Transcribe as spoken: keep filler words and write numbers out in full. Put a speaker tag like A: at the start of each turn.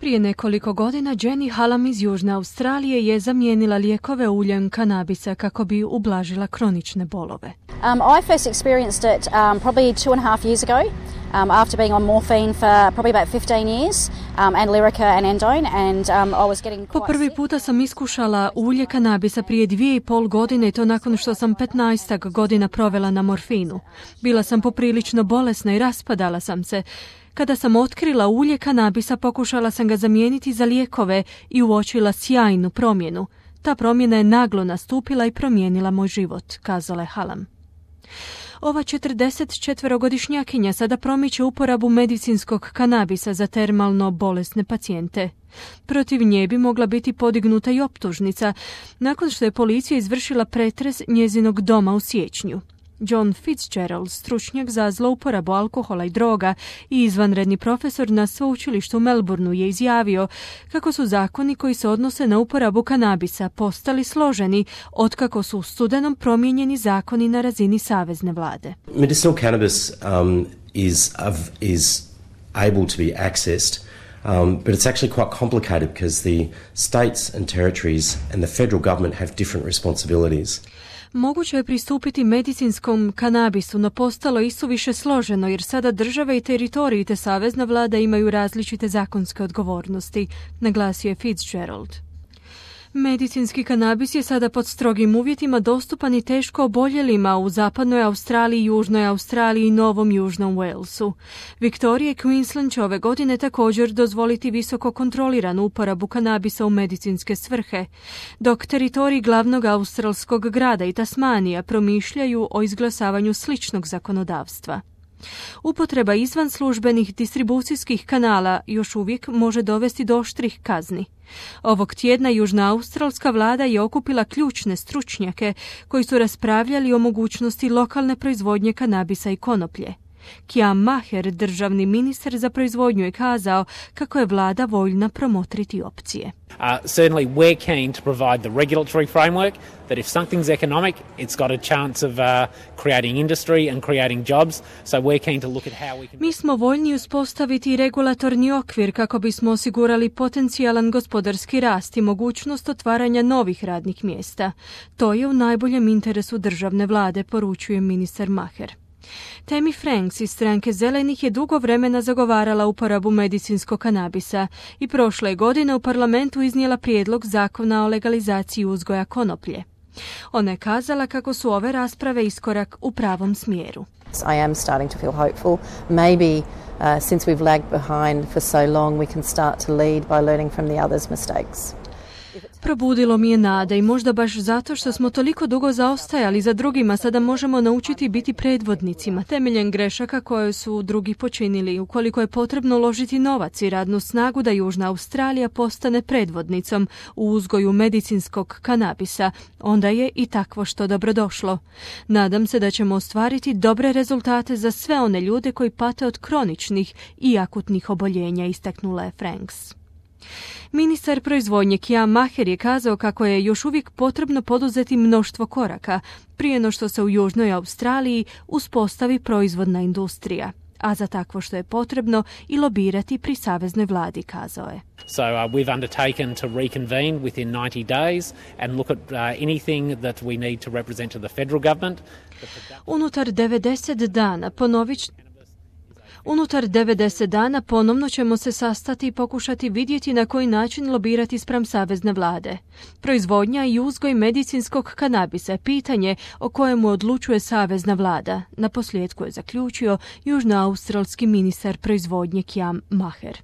A: Prije nekoliko godina Jenny Hallam iz Južne Australije je zamijenila lijekove uljem kanabisa kako bi ublažila kronične bolove.
B: Um, I first experienced it um, probably two and a half years ago um, after being on morphine for probably about fifteen years um, and Lyrica and Endone and um, I was getting quite
A: Po prvi puta sam iskušala ulje kanabisa prije dvije i pol godine i to nakon što sam petnaestak godina provela na morfinu. Bila sam poprilično bolesna i raspadala sam se. Kada sam otkrila ulje kanabisa, pokušala sam ga zamijeniti za lijekove i uočila sjajnu promjenu. Ta promjena je naglo nastupila i promijenila moj život, kazala je Hallam. Ova četrdesetčetverogodišnjakinja sada promiče uporabu medicinskog kanabisa za termalno bolesne pacijente. Protiv nje bi mogla biti podignuta i optužnica nakon što je policija izvršila pretres njezinog doma u siječnju. John Fitzgerald, stručnjak za zlouporabu alkohola i droga i izvanredni profesor na sveučilištu u Melbourneu, je izjavio kako su zakoni koji se odnose na uporabu kanabisa postali složeni otkako su u studenom promijenjeni zakoni na razini savezne vlade.
C: Medicinal cannabis um, is, of, is able to be accessed, um, but it's actually quite complicated because the states and territories and the federal government have different responsibilities.
A: Moguće je pristupiti medicinskom kanabisu, no postalo i suviše složeno jer sada države i teritoriji te savezna vlada imaju različite zakonske odgovornosti, naglasio je Fitzgerald. Medicinski kanabis je sada pod strogim uvjetima dostupan i teško oboljelima u zapadnoj Australiji, južnoj Australiji i Novom Južnom Walesu. Victoria i Queensland će ove godine također dozvoliti visoko kontroliranu uporabu kanabisa u medicinske svrhe, dok teritoriji glavnog australskog grada i Tasmanija promišljaju o izglasavanju sličnog zakonodavstva. Upotreba izvan službenih distribucijskih kanala još uvijek može dovesti do oštrih kazni. Ovog tjedna južna australska vlada je okupila ključne stručnjake koji su raspravljali o mogućnosti lokalne proizvodnje kanabisa i konoplje. Kiam Maher, državni ministar za proizvodnju, je kazao kako je vlada voljna promotriti opcije.
D: Uh, certainly we're keen to provide the regulatory framework that if something's economic, it's got a chance of uh, creating industry and creating jobs. So we're keen to look at how we can...
A: Mi smo voljni uspostaviti regulatorni okvir kako bismo osigurali potencijalan gospodarski rast i mogućnost otvaranja novih radnih mjesta. To je u najboljem interesu državne vlade, poručuje ministar Maher. Tammy Franks iz stranke Zelenih je dugo vremena zagovarala uporabu medicinskog kanabisa i prošle godine u parlamentu iznijela prijedlog zakona o legalizaciji uzgoja konoplje. Ona je kazala kako su ove rasprave iskorak u pravom smjeru.
E: I am starting to feel hopeful. Maybe uh, since we've lagged behind for so long, we can start to lead by learning from the others' mistakes.
A: Probudilo mi je nada i možda baš zato što smo toliko dugo zaostajali za drugima, sada možemo naučiti biti predvodnicima temeljem grešaka koje su drugi počinili. Ukoliko je potrebno uložiti novac i radnu snagu da Južna Australija postane predvodnicom u uzgoju medicinskog kanabisa, onda je i takvo što dobrodošlo. Nadam se da ćemo ostvariti dobre rezultate za sve one ljude koji pate od kroničnih i akutnih oboljenja, istaknula je Franks. Ministar proizvodnje Kiam Maher je kazao kako je još uvijek potrebno poduzeti mnoštvo koraka prije no što se u Južnoj Australiji uspostavi proizvodna industrija, a za takvo što je potrebno i lobirati pri saveznoj vladi, kazao je.
D: So uh, we've undertaken to reconvene within ninety days and look at uh, anything that we need to represent to the federal government.
A: Unutar devedeset dana ponovit Unutar devedeset dana ponovno ćemo se sastati i pokušati vidjeti na koji način lobirati spram savezne vlade. Proizvodnja i uzgoj medicinskog kanabisa je pitanje o kojemu odlučuje savezna vlada, naposljetku je zaključio južnoaustralski ministar proizvodnje Kiam Maher.